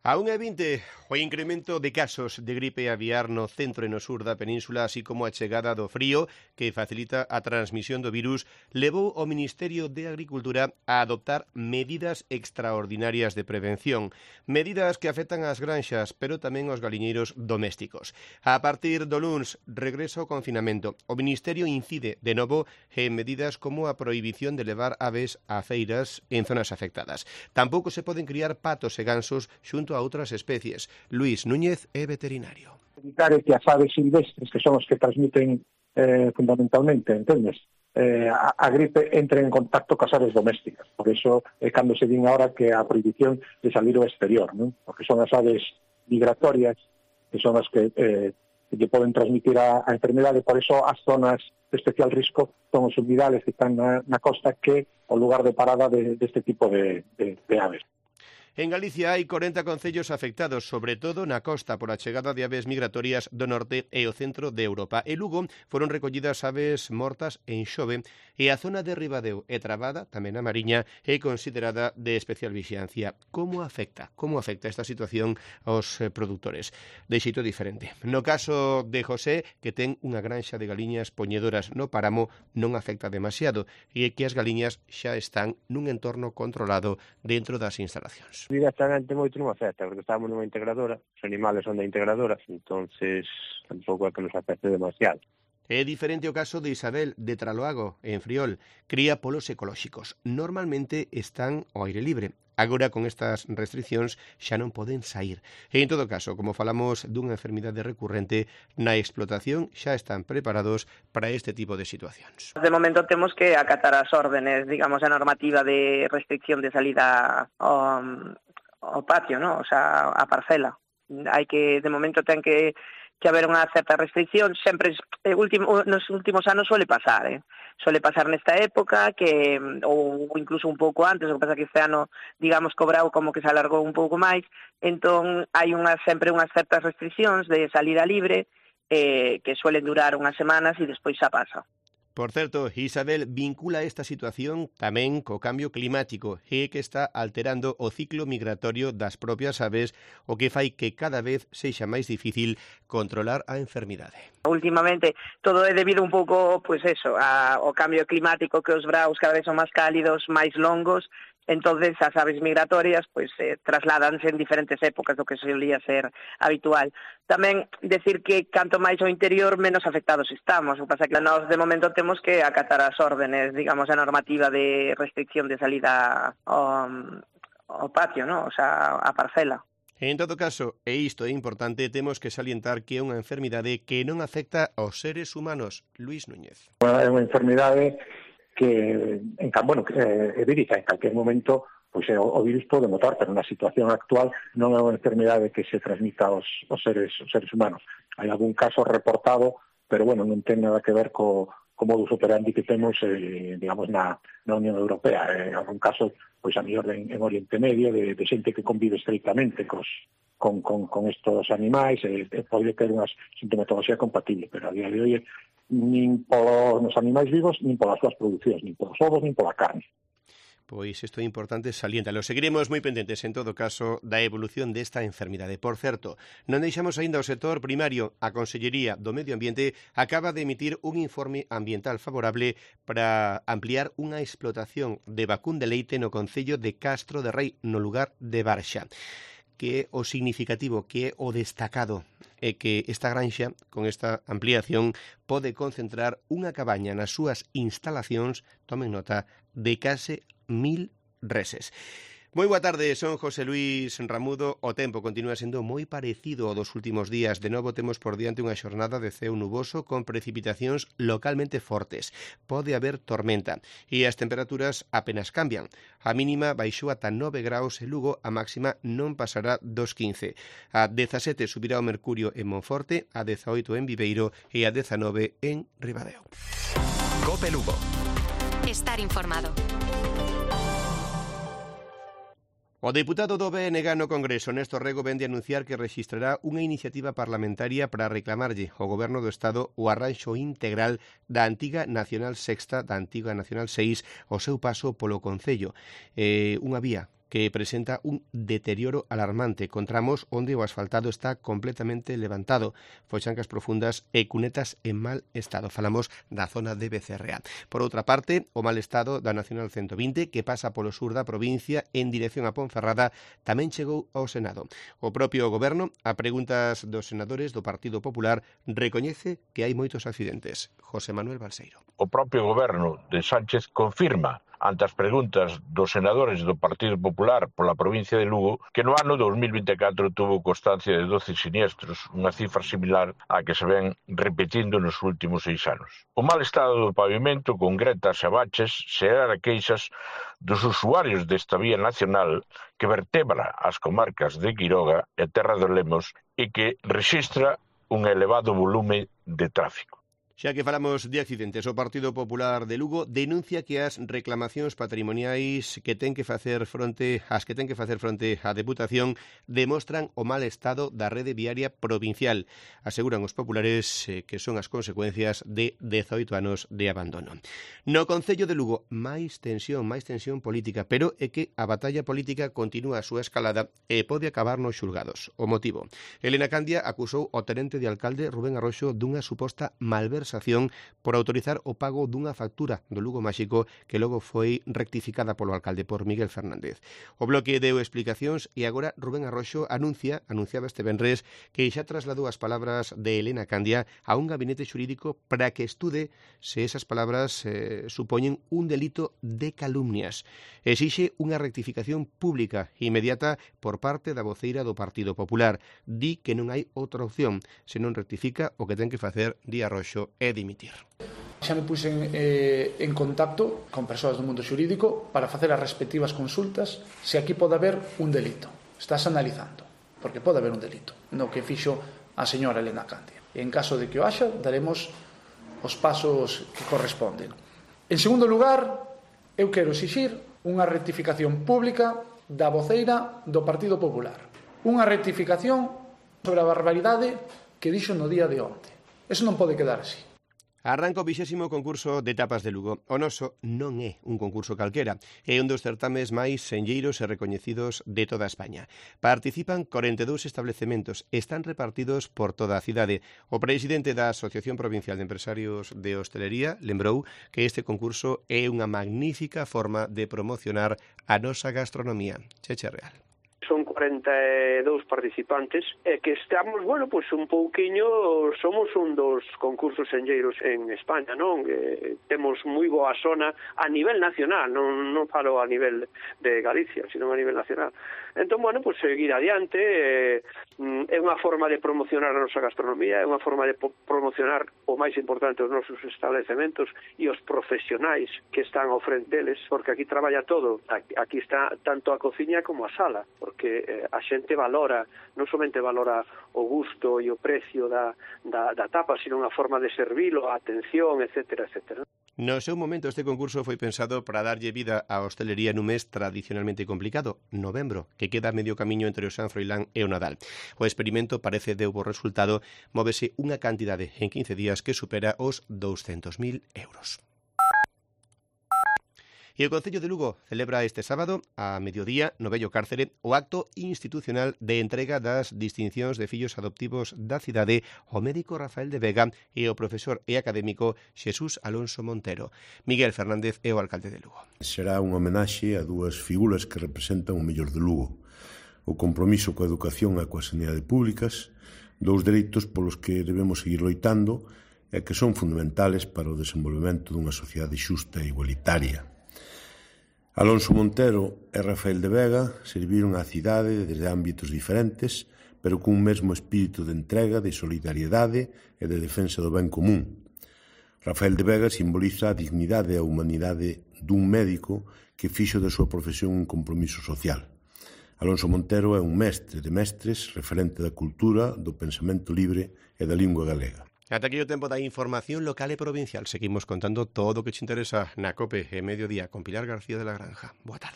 A 1,20 o incremento de casos de gripe aviar no centro e no sur da península, así como a chegada do frío que facilita a transmisión do virus, levou o Ministerio de Agricultura a adoptar medidas extraordinarias de prevención. Medidas que afectan ás granxas, pero tamén aos galiñeiros domésticos. A partir do luns, regreso ao confinamento. O Ministerio incide de novo en medidas como a prohibición de levar aves a feiras en zonas afectadas. Tampouco se poden criar patos e gansos xunto a outras especies. Luís Núñez é veterinario. Evitar que as aves silvestres, que son os que transmiten fundamentalmente, entendes? A gripe entre en contacto cas aves domésticas. Por iso é cando se din ahora que a prohibición de salir ao exterior, non? Porque son as aves migratorias que son as que lle poden transmitir a enfermedade. Por iso as zonas de especial risco son os humidales que están na costa, que o lugar de parada deste tipo de aves. En Galicia hai 40 concellos afectados, sobre todo na costa, por a chegada de aves migratorias do norte e o centro de Europa. En Lugo foron recollidas aves mortas en Xove e a zona de Ribadeo e Trabada, tamén a Mariña, é considerada de especial vixilancia. Como afecta esta situación aos produtores? De xeito diferente. No caso de José, que ten unha granxa de galiñas poñedoras no páramo, non afecta demasiado, e é que as galiñas xa están nun entorno controlado dentro das instalacións. Directamente moito non afecta, porque estamos nunha integradora, os animales son da integradora, entonces tampouco é que nos afecte demasiado. É diferente o caso de Isabel, de Traloago, en Friol. Cría polos ecolóxicos. Normalmente están ao aire libre. Agora, con estas restriccións, xa non poden sair. E, en todo caso, como falamos dunha enfermidade recurrente, na explotación xa están preparados para este tipo de situacións. De momento temos que acatar as órdenes, digamos, a normativa de restricción de salida ao patio, ¿no? O sea, a parcela. Hai que, de momento, ten que haber unha certa restricción. Sempre nos últimos anos suele pasar, Suele pasar nesta época, ou incluso un pouco antes, o que pasa que este ano, digamos, cobrao como que se alargou un pouco máis, entón hai sempre unhas certas restriccións de salida libre que suelen durar unhas semanas e despois xa pasa. Por certo, Isabel vincula esta situación tamén co cambio climático e que está alterando o ciclo migratorio das propias aves, o que fai que cada vez sexa máis difícil controlar a enfermidade. Últimamente todo é debido un pouco, ao cambio climático, que os vraos cada vez son máis cálidos, máis longos. Entonces as aves migratorias trasládanse en diferentes épocas do que solía ser habitual. Tamén decir que canto máis ao interior menos afectados estamos. O que pasa que nós de momento temos que acatar as órdenes, digamos, a normativa de restricción de salida ao patio, ¿no? O sea, a parcela. En todo caso, e isto é importante, temos que salientar que é unha enfermidade que non afecta aos seres humanos. Luís Núñez. É unha enfermidade que é vírica, en calquer momento o virus pode mutar, pero na situación actual non é unha enfermidade que se transmita aos seres humanos. Hai algún caso reportado, pero non ten nada que ver co modus operandi que temos, digamos, na Unión Europea. Algún caso, a mellor en Oriente Medio, de xente que convive estreitamente con estos animais, pode ter unha sintomatología compatible, pero a día de hoxe nin polos animais vivos, nin polas súas producións, nin polos ovos, nin pola carne. Pois isto é importante saliéntalo. Seguiremos moi pendentes, en todo caso, da evolución desta enfermidade. Por certo, non deixamos aínda o sector primario. A Consellería do Medio Ambiente acaba de emitir un informe ambiental favorable para ampliar unha explotación de vacún de leite no concello de Castro de Rei, no lugar de Barxa. Que é o significativo, que é o destacado, é que esta granxa, con esta ampliación, pode concentrar unha cabaña nas súas instalacións, tomen nota, de case 1000 reses. Moi boa tarde, son José Luís Ramudo. O tempo continúa sendo moi parecido ao dos últimos días. De novo temos por diante unha xornada de ceo nuboso con precipitacións localmente fortes. Pode haber tormenta e as temperaturas apenas cambian. A mínima baixou ata 9 graus en Lugo, a máxima non pasará dos 15. A 17 subirá o mercurio en Monforte, a 18 en Viveiro e a 19 en Ribadeo. Cope Lugo. Estar informado. O deputado do BNG no Congreso, Néstor Rego, vende a anunciar que rexistrará unha iniciativa parlamentaria para reclamarlle ao Goberno do Estado o arranxo integral da antiga Nacional Sexta, da antiga Nacional 6, o seu paso polo Concello. Unha vía que presenta un deterioro alarmante con tramos onde o asfaltado está completamente levantado, foxancas profundas e cunetas en mal estado. Falamos da zona de Becerrea. Por outra parte, o mal estado da Nacional 120, que pasa polo sur da provincia en dirección a Ponferrada, tamén chegou ao Senado. O propio Goberno, a preguntas dos senadores do Partido Popular, recoñece que hai moitos accidentes. José Manuel Balseiro. O propio Goberno de Sánchez confirma ante as preguntas dos senadores do Partido Popular pola provincia de Lugo que no ano 2024 tuvo constancia de 12 siniestros, unha cifra similar á que se ven repetindo nos últimos 6 anos. O mal estado do pavimento con gretas e baches se era queixas dos usuarios desta vía nacional que vertebra as comarcas de Quiroga e Terra de Lemos e que rexistra un elevado volume de tráfico. Xa que falamos de accidentes, o Partido Popular de Lugo denuncia que as reclamacións patrimoniais que ten que facer fronte á Deputación demostran o mal estado da rede viaria provincial. Aseguran os populares que son as consecuencias de 18 anos de abandono. No Concello de Lugo, máis tensión política, pero é que a batalla política continúa a súa escalada e pode acabar nos xulgados. O motivo: Elena Candia acusou ao tenente de alcalde Rubén Arroxo dunha suposta malversación por autorizar o pago dunha factura do Lugo Máxico que logo foi rectificada polo alcalde por Miguel Fernández. O Bloque deu explicacións e agora Rubén Arroxo anunciaba este venres que xa trasladou as palabras de Elena Candia a un gabinete xurídico para que estude se esas palabras supoñen un delito de calumnias. Exixe unha rectificación pública inmediata por parte da voceira do Partido Popular. Di que non hai outra opción, se non rectifica o que ten que facer di Arroxo é dimitir. Xa me puxen en contacto con persoas do mundo xurídico para facer as respectivas consultas se aquí pode haber un delito. Estás analizando, porque pode haber un delito no que fixo a señora Elena Candia. E en caso de que o haxa, daremos os pasos que corresponden. En segundo lugar, eu quero exixir unha rectificación pública da voceira do Partido Popular. Unha rectificación sobre a barbaridade que dixo no día de onte. Eso non pode quedar así. Arranca o 20º concurso de tapas de Lugo. O noso non é un concurso calquera, é un dos certames máis senlleiros e recoñecidos de toda España. Participan 42 establecementos, están repartidos por toda a cidade. O presidente da Asociación Provincial de Empresarios de Hostelería lembrou que este concurso é unha magnífica forma de promocionar a nosa gastronomía. Cheche Real. Son 42 participantes e que estamos, pois un pouquiño, somos un dos concursos senlleiros en España, non? Temos moi boa zona a nivel nacional, non falo a nivel de Galicia, sino a nivel nacional. Entón, pois seguir adiante, é unha forma de promocionar a nosa gastronomía, é unha forma de promocionar o máis importante os nosos establecementos e os profesionais que están ao frente deles, porque aquí traballa todo, aquí está tanto a cociña como a sala, porque a xente valora, non somente valora o gusto e o precio da tapa, sino unha forma de servilo, a atención, etcétera, etcétera. No seu momento, este concurso foi pensado para darlle vida á hostelería nun mes tradicionalmente complicado, novembro, que queda a medio camiño entre o San Froilán e o Nadal. O experimento parece deu bo resultado, móvese unha cantidade en 15 días que supera os 200.000 euros. E o Concello de Lugo celebra este sábado, a mediodía, no Vello Cárcere, o acto institucional de entrega das distincións de fillos adoptivos da cidade ao médico Rafael de Vega e ao profesor e académico Xesús Alonso Montero. Miguel Fernández é o alcalde de Lugo. Será unha homenaxe a dúas figuras que representan o mellor de Lugo. O compromiso coa educación e coa sanidade públicas, dous dereitos polos que debemos seguir loitando e que son fundamentales para o desenvolvemento dunha sociedade xusta e igualitaria. Alonso Montero e Rafael de Vega serviron á cidade desde ámbitos diferentes, pero cun mesmo espírito de entrega, de solidariedade e de defensa do ben común. Rafael de Vega simboliza a dignidade e a humanidade dun médico que fixo da súa profesión un compromiso social. Alonso Montero é un mestre de mestres, referente da cultura, do pensamento libre e da lingua galega. Ata aquí o tempo da información local e provincial. Seguimos contando todo o que te interesa na COPE e Mediodía con Pilar García de la Granja. Boa tarde.